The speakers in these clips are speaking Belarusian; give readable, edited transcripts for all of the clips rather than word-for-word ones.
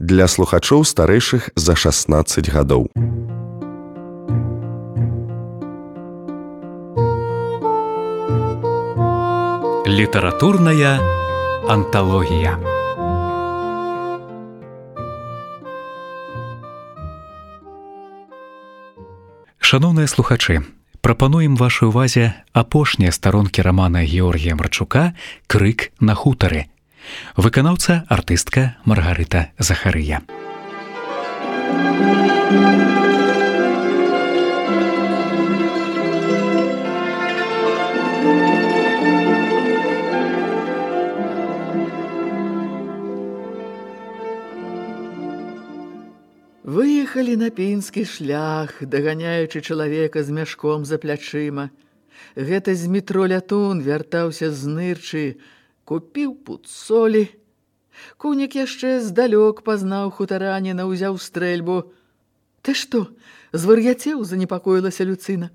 для слухачоў старэйшых за 16 гадоў. Літаратурная анталогія. Шаноўныя слухачы, прапануем вашай увазе апошнія старонкі рамана Георгія Марчука «Крык на хутары». Выканаўца артыстка Маргарыта Захарыя. Выехалі на пінскі шлях, даганяючы чалавека з мяшком за плячыма. Гэта з метро Лятун вяртаўся з нырчы, купіў пуд солі. Кунік яшчэ здалёк пазнаў хутараніна, узяў стрэльбу. «Ты што, звар'яцеў?» – занепакоілася Люцына.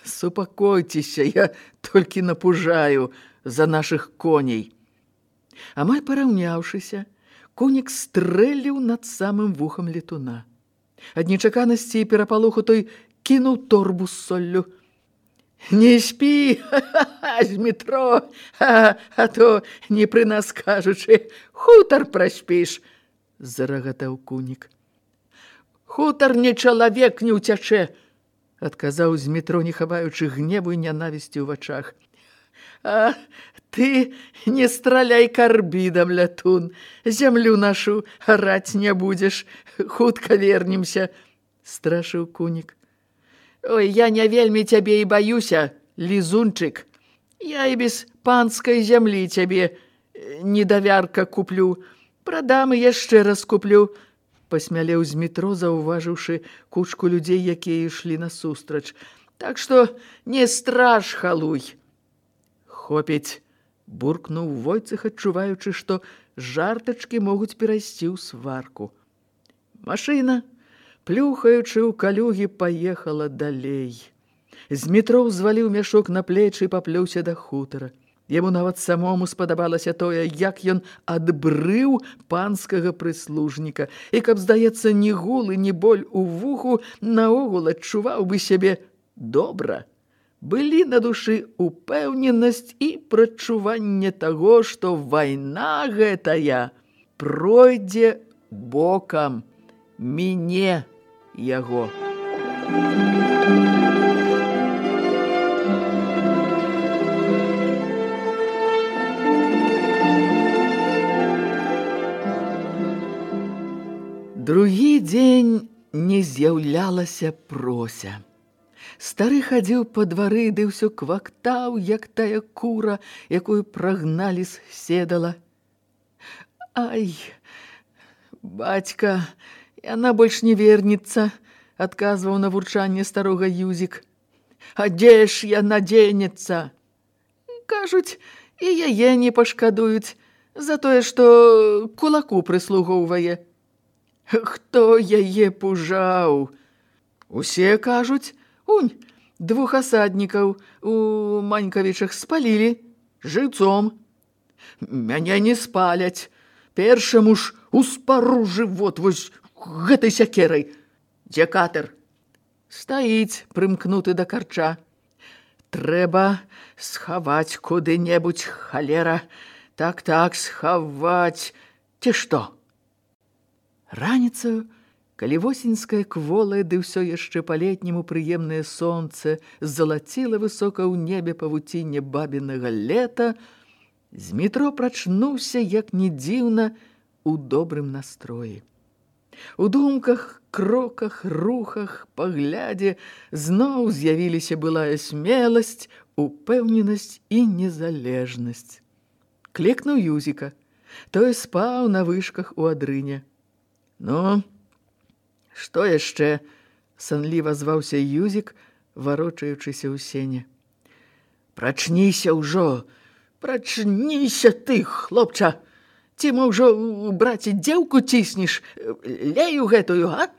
«Супакойцеся, я толькі напужаю за нашых коней». Амаль параўняўшыся, Кунік стрэліў над самым вухам летуна. Ад нечаканасці і перапалоху той кінуў торбу з соллю. «Не спі, з метро, а то, не пры нас кажучы, хутар праспіш», – зарагатаў Кунік. «Хутар не чалавек не ўцячэ», – адказаў з метро, не хаваючы гневу і нянавісці ў вачах. «А ты не страляй карбідам, Лятун, зямлю нашу араць не будзеш, хутка вернемся», – страшыў Кунік. «Ой, я не вельмі цябе і баюся, лізунчык. Я і без панскай зямлі цябе недавярка куплю. Прадам і яшчэ раз куплю», – пасмялеў з метро, заўважыўшы кучку людзей, якія ішлі насустрач. «Так што не страж, халуй». «Хопіць», – буркнуў Войцэх, адчуваючы, што жартачкі могуць перайсці ў сварку. Машына, плюхаючы ў калюгі, паехала далей. З метро ўзваліў мяшок на плечы і паплёўся да хутара. Яму нават самому спадабалася тое, як ён адбрыў панскага прыслужніка, і каб, здаецца, ні гул і ні боль у вуху, наогул адчуваў бы сябе добра. Былі на душы упэўненасць і прадчуванне таго, што вайна гэтая пройдзе бокам, міне яго. Другі дзень не з'яўлялася Прося. Стары хадзіў па двары, ды ўсё квактаў, як тая кура, якую прагналі з седала. «Ай, бацька, яна больш не вернецца», – адказваў на вурчанне старога Юзік. «А дзе ж яна дзенецца?» «Кажуць, і яе не пашкадуюць за тое, што кулаку прыслугоўвае». «Хто яе пужаў?» «Усе кажуць. Унь, 2 асаднікаў у Манькавічах спалілі жыўцом». «Мяне не спаляць. Першаму ж успару жывот вось гэтай сякерай». «Дзе катер?» «Стаіць, прымкнуты да карча». «Трэба схаваць куды-небудзь, халера. Так, схаваць. Ці што?» Раніцаю, калі восеньскае кволае, ды ўсё яшчэ па-летняму прыемнае сонце залаціла высока ў небе павуцінне бабінага лета, з метро прачнуўся, як не дзіўна, у добрым настроі. У думках, кроках, рухах, паглядзе зноў з'явіліся былая смеласць, упэўненасць і незалежнасць. Клекнуў Юзіка. Той спаў на вышках у адрыне. «Ну, што яшчэ?» – санліва зваўся Юзік, варочаючыся ў сене. «Прачніся ўжо! Прачніся ты, хлопча! Ці мо ўжо, браце, дзеўку ціснеш? Лею гэтую, а?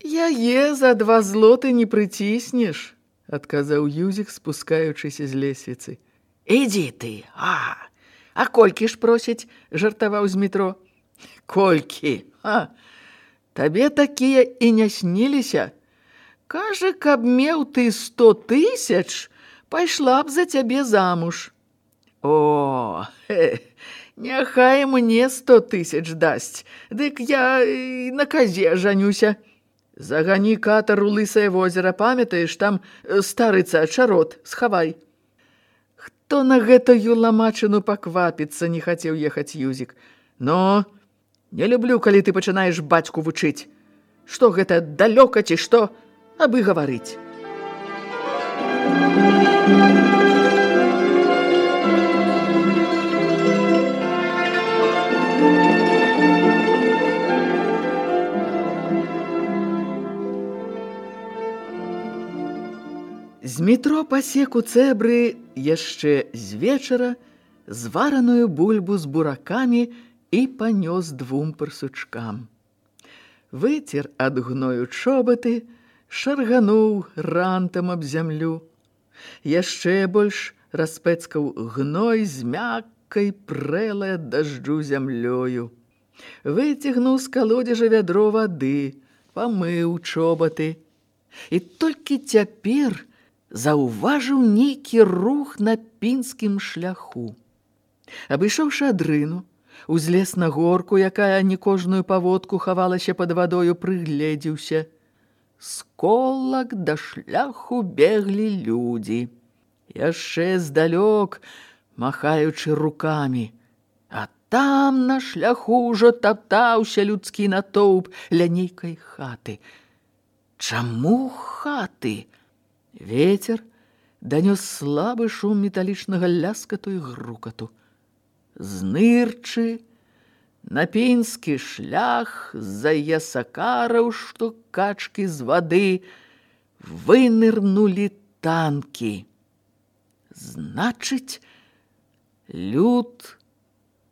«Яе за 2 злоты не прыціснеш», – адказаў Юзік, спускаючыся з лесвіцы. «Ідзі ты, а колькі ж просяць?» – жартаваў з метро. Колькі? Табе такія і не сніліся? Кажа, каб меў ты 100 000, пайшла б за цябе замуж. О, няхай мне 100 000 дасць, дык я на казе жанюся. Загані катар у Лысае возера, памятаеш, там старыца чарот, схавай. Хто на гэтую ламачыну паквапіцца, не хацеў ехаць Юзік. Но не люблю, калі ты пачынаеш бацьку вучыць. Што гэта, далёка ці што, абы гаварыць. З метро пасек у цэбры яшчэ з вечара звараную бульбу з буракамі і панёс 2 парсучкам. Выцер ад гною чобаты, шаргануў рантам аб зямлю. Яшчэ больш распэцкаў гной з мяккай прэлай ад дажджу зямлёю. Выцягнуў з калодзежа вядро вады, памыў чобаты. І толькі цяпер заўважыў нейкі рух на пінскім шляху. Абышоўшы адрыну, узлез на горку, якая не кожную паводку хавалася пад вадою, прыгледзеўся. З колак да шляху беглі людзі, яшчэ здалёк махаючы рукамі. А там на шляху ўжо таптаўся людскі натоўп ля нейкай хаты. Чаму хаты? Вецер данёс слабы шум металічнага ляскату і грукату. Знырчы на пінскі шлях з-за ясакараў, што качкі з вады, вынырнулі танкі. Значыць, люд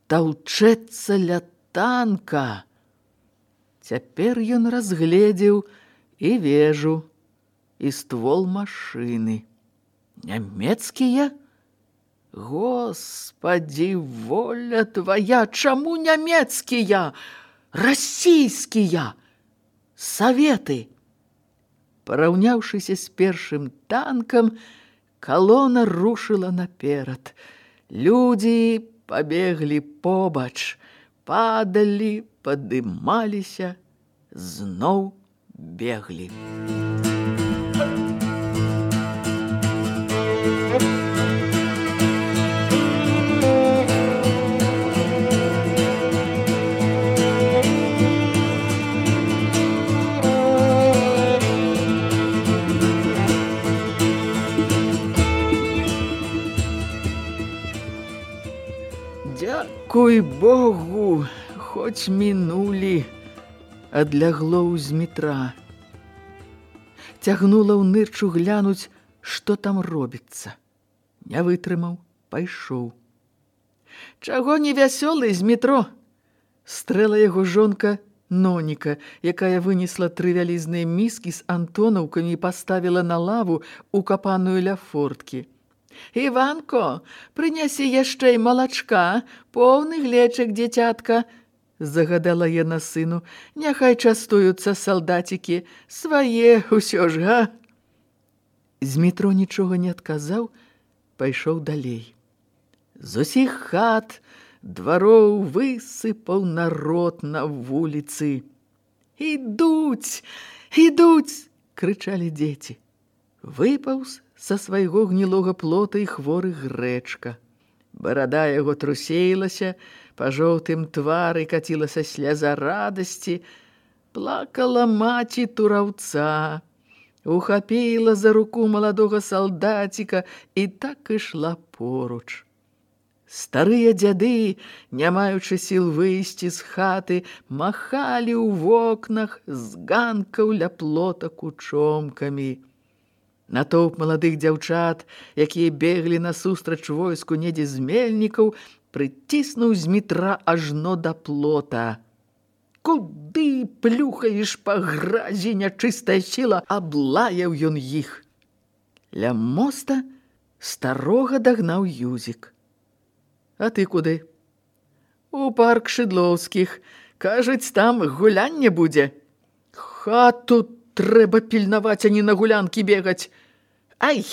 таўчэцца ля танка. Цяпер ён разгледзеў і вежу, і ствол машыны. Нямецкія? Господі, воля твая, чаму нямецкія? Расійскія! Саветы! Параўняўшыся з першым танкам, калона рушыла наперад. Людзі пабеглі побач, падалі, падымаліся, зноў беглі. Дзякуй Богу, хоць мінулі, адлягло з метра. Цягнула ў нырчу глянуць, што там робіцца. Не вытрымаў, пайшоў. Чаго не вясёлы з метро? Стрэла яго жонка Ноніка, якая вынесла 3 вялізныя міскі з антонаўкамі і паставіла на лаву, укапаную ля форткі. Іванко, прынясі яшчэ і малачка, поўны глечык, дзіцятка, загадала яна сыну. Няхай частуюцца салдацікі, свае ўсё ж, га? З метро нічога не адказаў, пайшоў далей. З усіх хат, двароў высыпаў народ на вуліцы. «Ідуць! Ідуць!» – крычалі дзеці. Выпаўз са свайго гнілога плота і хворы Грэчка. Барада яго трусеілася, па жоўтым твары кацілася сляза радасці. Плакала маці тураўца, ухапіла за руку маладога салдаціка і так ішла поруч. Старыя дзяды, не маючы сіл выйсці з хаты, махалі ў вокнах з ганкаў ля плота кучомкамі. Натоўп маладых дзяўчат, якія беглі насустрач войску недзе з мельнікаў, прыціснуў з метра ажно да плота. «Куды плюхаеш па гразі, нячыстая сіла?» – аблаяў ён іх. Ля моста старога дагнаў Юзік. «А ты куды?» «У парк Шыдлоўскіх. Кажуць, там гулянне будзе. Хату трэба пільнаваць, а не на гулянкі бегаць. Ай,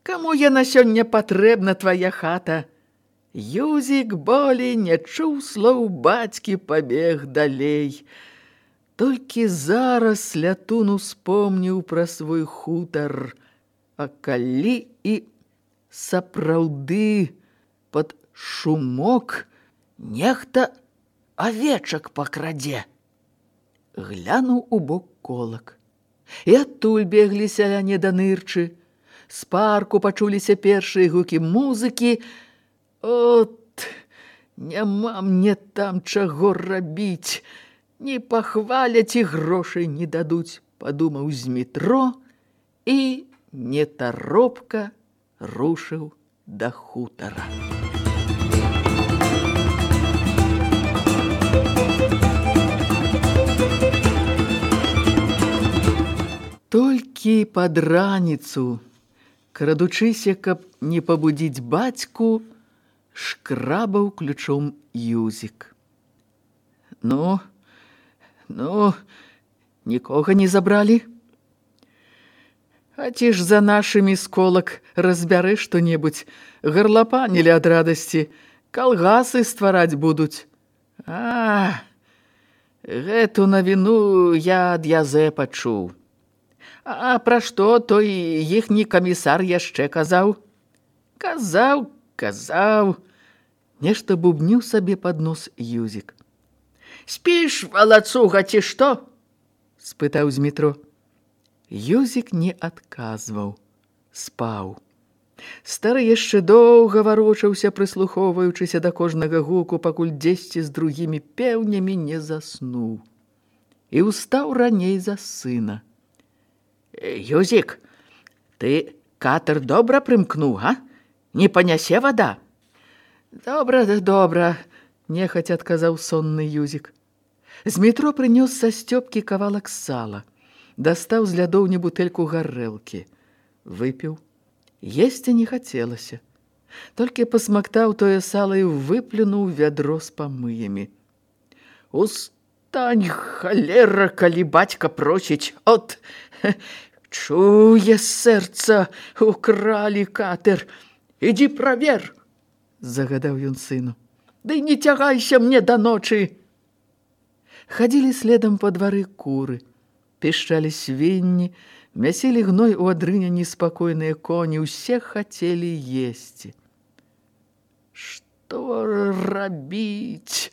каму яна сёння патрэбна, твая хата? Юзік болей не чуў слоў бацькі, пабег далей. Толькі зараз Лятун успомніў пра свой хутар. А калі і сапраўды пад шумок нехта авечак пакрадзе. Глянуў у бок колак. І адтуль беглі сяляне да нырчы. З парку пачуліся першыя гукі музыкі. От, няма мне там чаго рабіць. Не пахваляць і грошай не дадуць, падумаў Змітро і нетаропка рушыў да хутара. Толькі пад раніцу, крадучыся, каб не пабудзіць бацьку, шкрабаў ключом Юзік. Ну, нікога не забралі? А ці ж за нашымі сколак разбяры што-небудзь, гарлапанілі ад радасці, калгасы ствараць будуць. А, гэту навіну я ад Язэпа чуў. А пра што той іхні камісар яшчэ казаў? Казаў. Нешта бубніў сабе пад нос Юзік. Спіш, валацуга, ці што? Спытаў Змітро. Юзік не адказваў, спаў. Стары яшчэ доўга варочаўся, прыслухоўваючыся да кожнага гуку, пакуль дзесьці з другімі пеўнямі не заснуў. І ўстаў раней за сына. Юзік, ты катер добра прымкнуў, а? Не панясе вада? Добра, нехаця адказаў сонны Юзік. Змітро прынёс са сцёпкі кавалак сала, дастаў з лядоўні бутэльку гарэлкі. Выпіў. Есці не хацелася. Толькі пасмактаў тое сала і выплюнуў вядро з памыямі. Устань, халера, калі бацька просіць. От, чуе сэрца, укралі катер. Ідзі правер, загадаў ён сыну. Ды не цягайся мне да ночы. Хадзілі следам па двары куры, пішчалі свінні, мясілі гной у адрыне неспакойныя коні, усе хацелі есці. Што рабіць,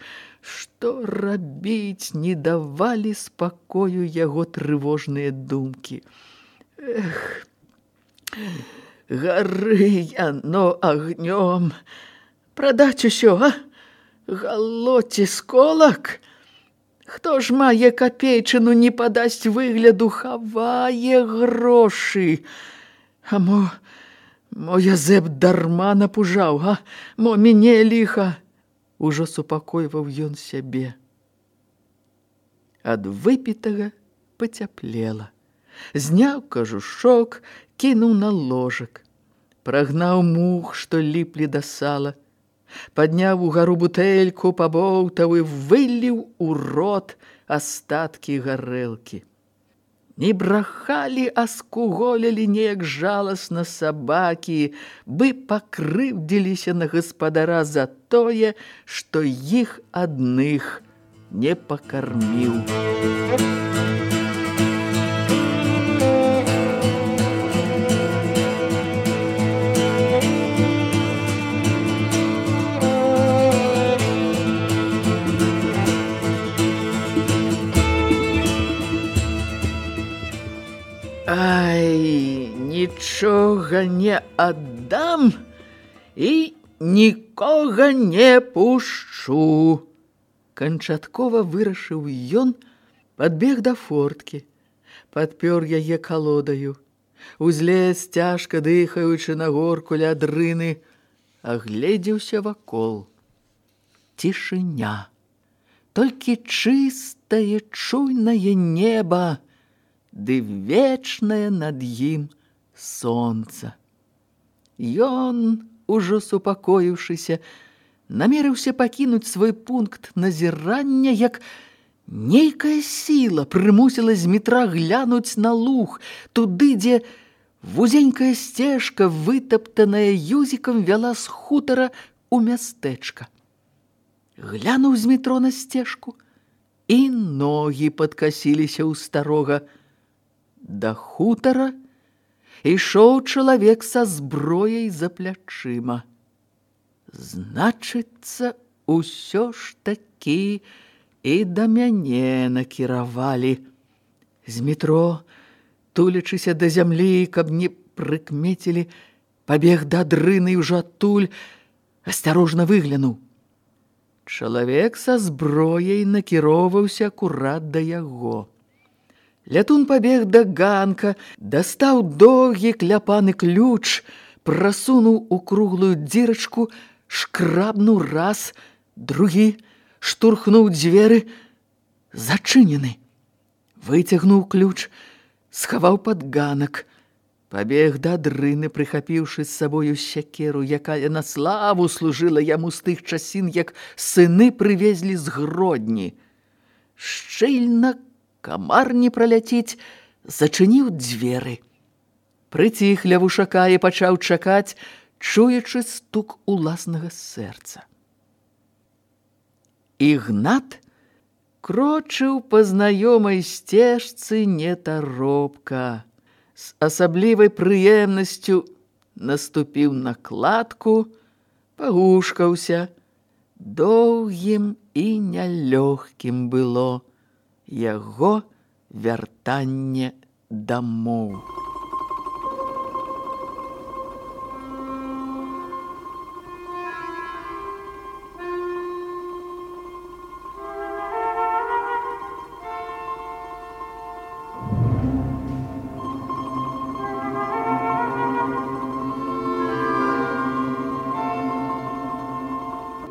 не давалі спакою яго трывожныя думкі. Эх, гары яно агнём. Прадаць усё, а? Галоці сколак? Хто ж мае капейчыну, не падасць выгляду, хавае грошы? А мо Язэп дарма напужаў, а? Мо мяне ліха? Ужо супакойваў ён сябе. Ад выпітага пацяплела. Зняў кажушок, кінуў на ложак. Прагнаў мух, што ліплі да сала. Падняў угару бутэльку, пабоўтаў і выліў у рот астаткі гарэлкі. Не брахалі, а скуголілі неяк жаласна сабакі, бы пакрыўдзіліся на гаспадара за тое, што іх адных не пакарміў. Ай, нічога не аддам і нікога не пушчу. Канчаткова вырашыў ён, падбег да форткі, падпёр яе калодаю, узлез, цяжка дыхаючы на горку ля дрыны, агледзеўся вакол. Цішыня, толькі чыстае, чуйнае неба, ды вечнае над ім сонца. Ён, ужо супакоіўшыся, намерыўся пакінуць свой пункт назірання, як нейкая сіла прымусіла Змітра глянуць на луг, туды, дзе вузенькая сцежка, вытаптаная юзікам, вяла з хутара ў мястэчка. Глянуў Змітро на сцежку, і ногі падкасіліся ў старога. Да хутара ішоў чалавек са зброяй за плячыма. Значыцца, усё ж такі і да мяне накіравалі. Змітро, тулячыся да зямлі, каб не прыкмецілі, пабег да дрыны і ўжо адтуль асцярожна выглянуў. Чалавек са зброяй накіроўваўся акурат да яго. Лятун пабег да ганка, дастаў доўгі кляпаны ключ, прасунуў у круглую дзірачку, шкрабнуў раз, другі, штурхнуў дзверы, зачынены. Выцягнуў ключ, схаваў пад ганак, пабег да дрыны, прыхапіўшы з сабою сякеру, якая на славу служыла яму з тых часін, як сыны прывезлі з Гродні. Шчыльна, камар не праляціць, зачыніў дзверы. Прыціх ля вушака і пачаў чакаць, чуючы стук уласнага сэрца. Ігнат крочыў па знаёмай сцежцы нетаропка. З асаблівай прыемнасцю наступіў на кладку, пагушкаўся. Доўгім і нялёгкім было яго вяртанне дамоў.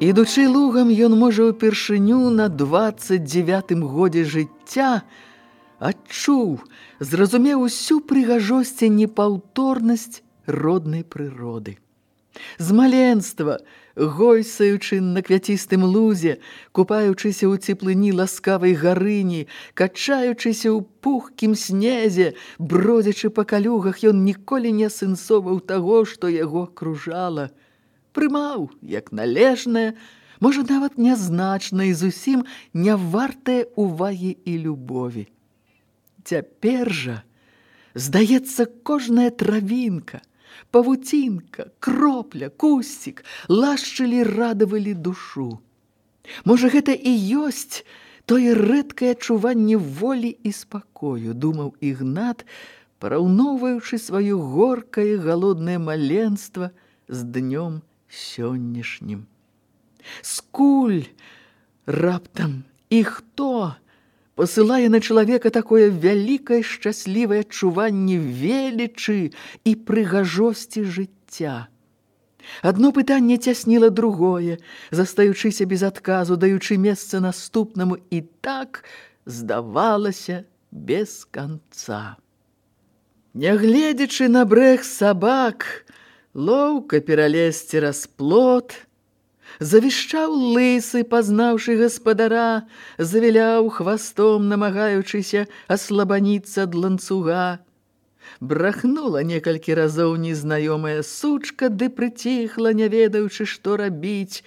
Ідучы лугам, ён, можа, упершыню на 29-м годзе жыцця адчуў, зразумеў усю прыгажосць і непаўторнасць роднай прыроды. З маленства, гойсаючы на квяцістым лузе, купаючыся ў цеплыні ласкавай гарыні, качаючыся ў пухкім снезе, бродзячы па калюгах, ён ніколі не асэнсоўваў таго, што яго акружала. Прымаў, як належнае, можа, нават нязначнае і зусім не вартае увагі і любові. Цяпер жа, здаецца, кожная травінка, павуцінка, кропля, кусцік лашчылі, радавалі душу. Можа, гэта і ёсць тое рэдкае адчуванне волі і спакою, думаў Ігнат, параўноўваючы сваё горкае галоднае маленства з днём сённяшнім. Скуль раптам і хто пасылае на чалавека такое вялікае шчаслівае адчуванне велічы і прыгажосці жыцця? Адно пытанне цясніла другое, застаючыся без адказу, даючы месца наступнаму, і так здавалася без канца. Нягледзячы на брэх сабак, лоўка пералезці цераз плот, завішчаў лысы, пазнаўшы гаспадара, завіляў хвастом, намагаючыся аслабаніцца ад ланцуга. Брахнула некалькі разоў незнаёмая сучка, ды прыціхла, не ведаючы, што рабіць,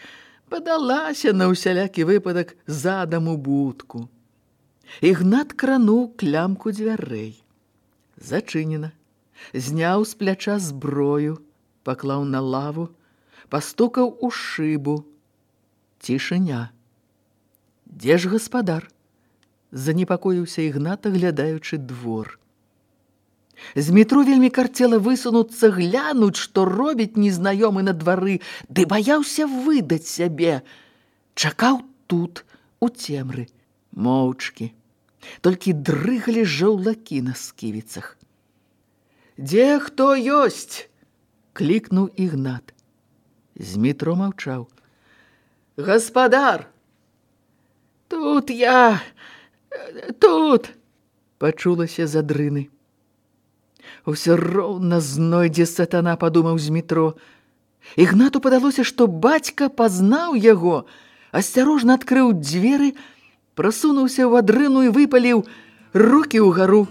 падалася на ўсялякі выпадак задам у будку. Ігнат крануў клямку дзвярэй. Зачынена. Зняў з пляча зброю, паклаў на лаву, пастукаў у шыбу. Цішыня. Дзе ж гаспадар? Занепакоіўся Ігнат, аглядаючы двор. Змітру вельмі карцела высунуцца, глянуць, што робіць незнаёмы на двары, ды баяўся выдаць сябе. Чакаў тут, у цемры, моўчкі. Толькі дрыгалі жаўлакі на сківіцах. «Дзе хто ёсць?» – клікнуў Ігнат. Змітро маўчаў. «Гаспадар!» «Тут я! Тут!» – пачулася за дрыны. «Усё роўна знойдзе сатана», – падумаў Змітро. Ігнату падалося, што бацька пазнаў яго, асцярожна адкрыў дзверы, прасунуўся ў адрыну і выпаліў: «Рукі ўгару!»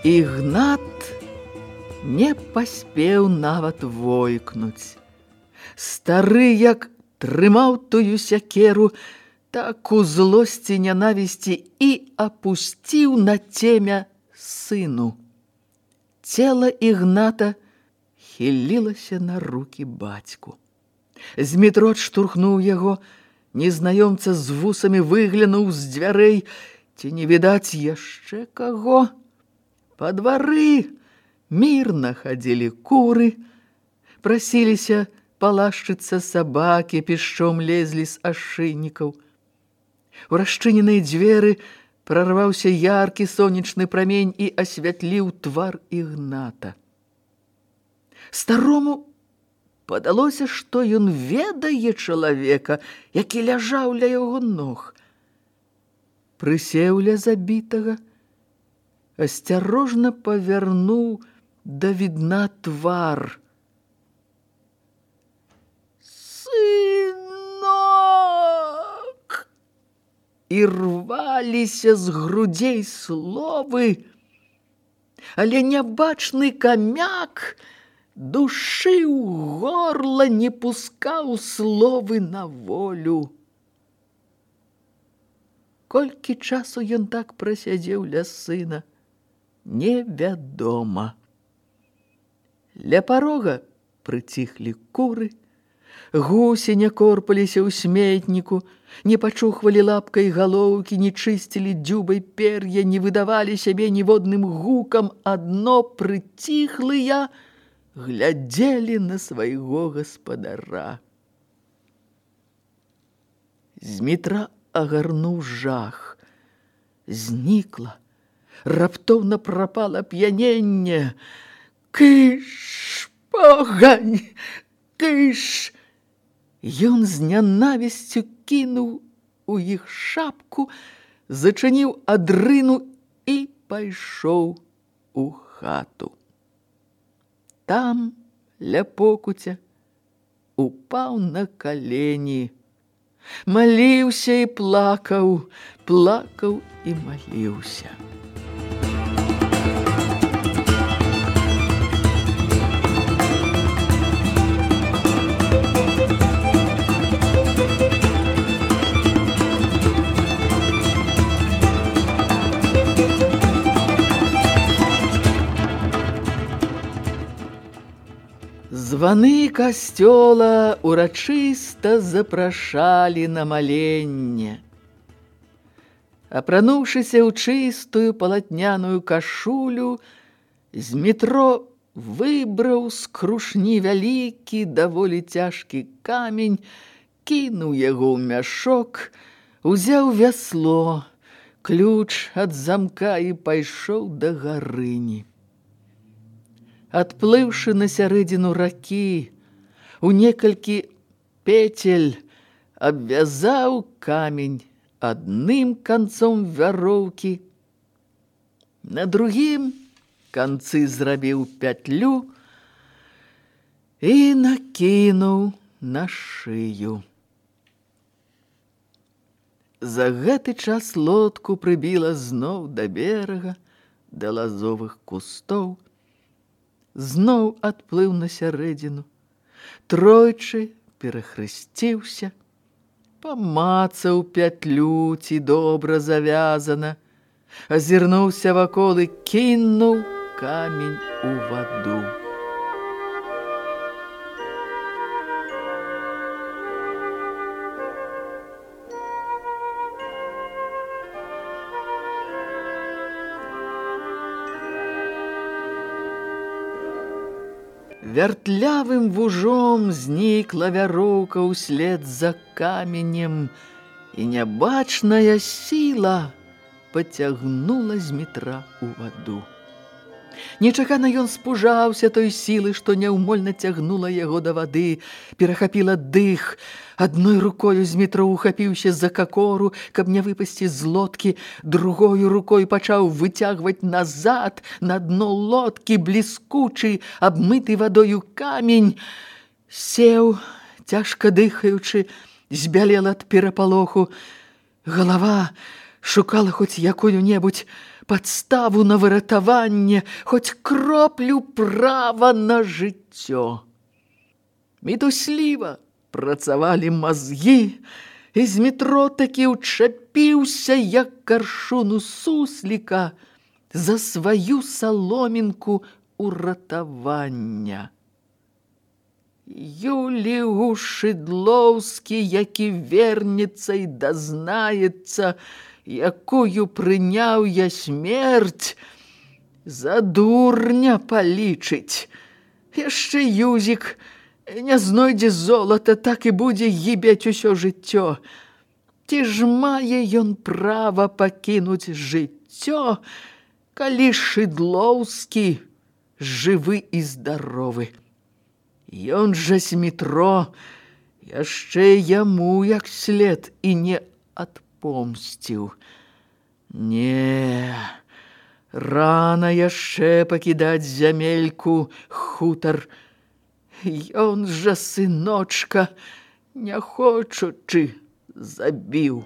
Ігнат не паспеў нават войкнуць. Стары, як трымаў тую сякеру, так у злосці нянавісці і апусціў на цемя сыну. Цела Ігната хілілася на рукі бацьку. Змітрот штурхнуў яго, незнаёмца з вусамі выглянуў з дзвярэй, ці не відаць яшчэ каго. Па двары мірна хадзілі куры, прасіліся палашчыцца сабакі, пішчом лезлі з ашыйнікаў. У расчыненыя дзверы прарваўся яркі сонечны прамень і асвятліў твар Ігната. Старому падалося, што ён ведае чалавека, які ляжаў ля яго ног. Прысеў ля забітага, асцярожна павярнуў да відна твар. «Сынок!» І рваліся з грудзей словы, але нябачны камяк душыў горла, не пускаў словы на волю. Колькі часу ён так прасядзеў ля сына, невядома. Ля парога прыціхлі куры, гусі не корпаліся ў сметніку, не пачухвалі лапкай галоўкі, не чысцілі дзюбай пер'я, не выдавалі сябе ніводным гукам, адно прыціхлыя глядзелі на свайго гаспадара. Змітра агарнуў жах. Знікла, раптоўна прапала п'яненне. «Кыш, погань, кыш!» Ён з нянавісцю кінуў у іх шапку, зачыніў адрыну і пайшоў у хату. Там, ля покуця, упаў на калені. Маліўся і плакаў, плакаў і маліўся. Званы касцёла урачыста запрашалі на маленне. Апрануўшыся ў чыстую палатняную кашулю, Змітро выбраў з крушні вялікі, даволі цяжкі камень, кінуў яго ў мяшок, узяў вясло, ключ ад замка і пайшоў да гарыні. Адплыўшы на сярэдзіну ракі, у некалькі пецель абвязаў камень адным канцом вяроўкі, на другім канцы зрабіў пятлю і накінуў на шыю. За гэты час лодку прыбіла зноў да берага, да лазовых кустоў, зноў адплыў на сярэдзіну, тройчы перахрысціўся, памацаў пятлю, ці добра завязана, азірнуўся вакол і кінуў камень у ваду. Вяртлявым вужом знікла вяроўка ўслед за каменем, і нябачная сіла пацягнула Змітра ў ваду. Нечакана ён спужаўся той сілы, што няўмольна цягнула яго да вады, перахапіла дых. Адной рукою з метро ухапіўся за какору, каб не выпасці з лодкі, другою рукой пачаў выцягваць назад на дно лодкі бліскучы, абмыты вадою камень. Сеў, цяжка дыхаючы, збялел ад перапалоху. Галава шукала хоць якую-небудзь падставу на выратаванне, хоць кроплю права на жыццё. Мітусліва працавалі мазгі, і з метро такі ўчапіўся, як каршуну сусліка, за сваю саломінку уратавання. Юлію Шыдлоўскі, які вернецца і дазнаецца, якую прыняў я смерць, за дурня палічыць. Яшчэ Юзік не знойдзе золата, так і будзе гібець усё жыццё. Ці ж мае ён права пакінуць жыццё, калі Шыдлоўскі жывы і здаровы? Ён жа з метро яшчэ яму як след і не адпомсціў. Не, рана яшчэ пакідаць зямельку, хутар. Ён жа, сыночка, не хочучы, забіў.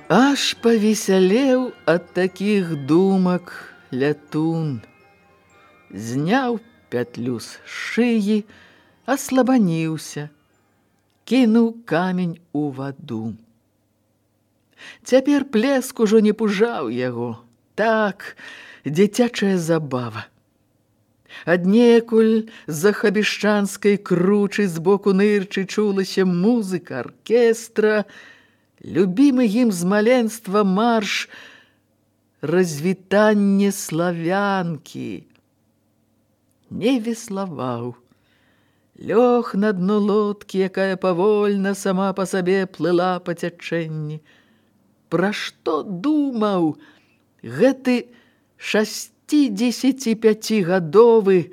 Аж павесялеў ад такіх думак лятун. Зняў пятлю з шыі, аслабаніўся, кінуў камень у ваду. Цяпер плеск ужо не пужаў яго. Так, дзіцячая забава. Аднекуль з-за хабішчанскай кручы збоку нырчы чулася музыка аркестра, любімы ім з маленства марш «Развітанне славянкі». Не веславаў. Лёг на дно лодкі, якая павольна сама па сабе плыла па цячэнні. Пра што думаў гэты 65-гадовы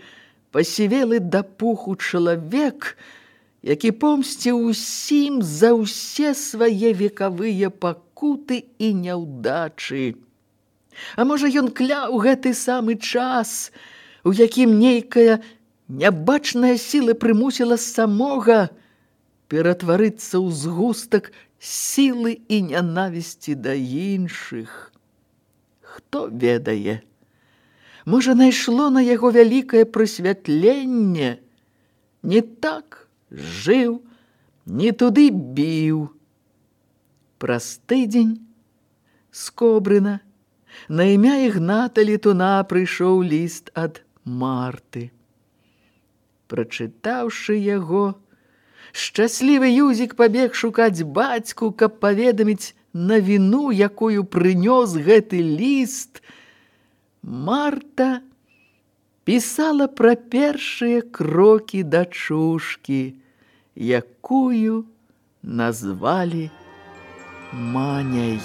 пасівелы да пуху чалавек, які помсціў усім за ўсе свае векавыя пакуты і няўдачы. А можа, ён кляў гэты самы час, у якім нейкая нябачная сіла прымусіла самога ператварыцца ў згустак сілы і нянавісці да іншых. Хто ведае? Можа, найшло на яго вялікае прасвятленне, не так жыў, не туды біў. Праз тыдзень з Кобрына на імя Ігната Летуна прыйшоў ліст ад Марты. Прачытаўшы яго, шчаслівы Юзік пабег шукаць бацьку, каб паведаміць навіну, якую прынёс гэты ліст. Марта пісала пра першыя крокі дачушкі, якую назвалі Маняй.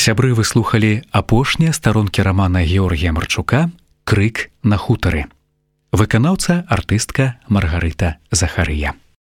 Сябры, вы слухалі апошнія старонкі рамана Георгія Марчука «Крык на хутары». Выканаўца артыстка Маргарыта Захарыя.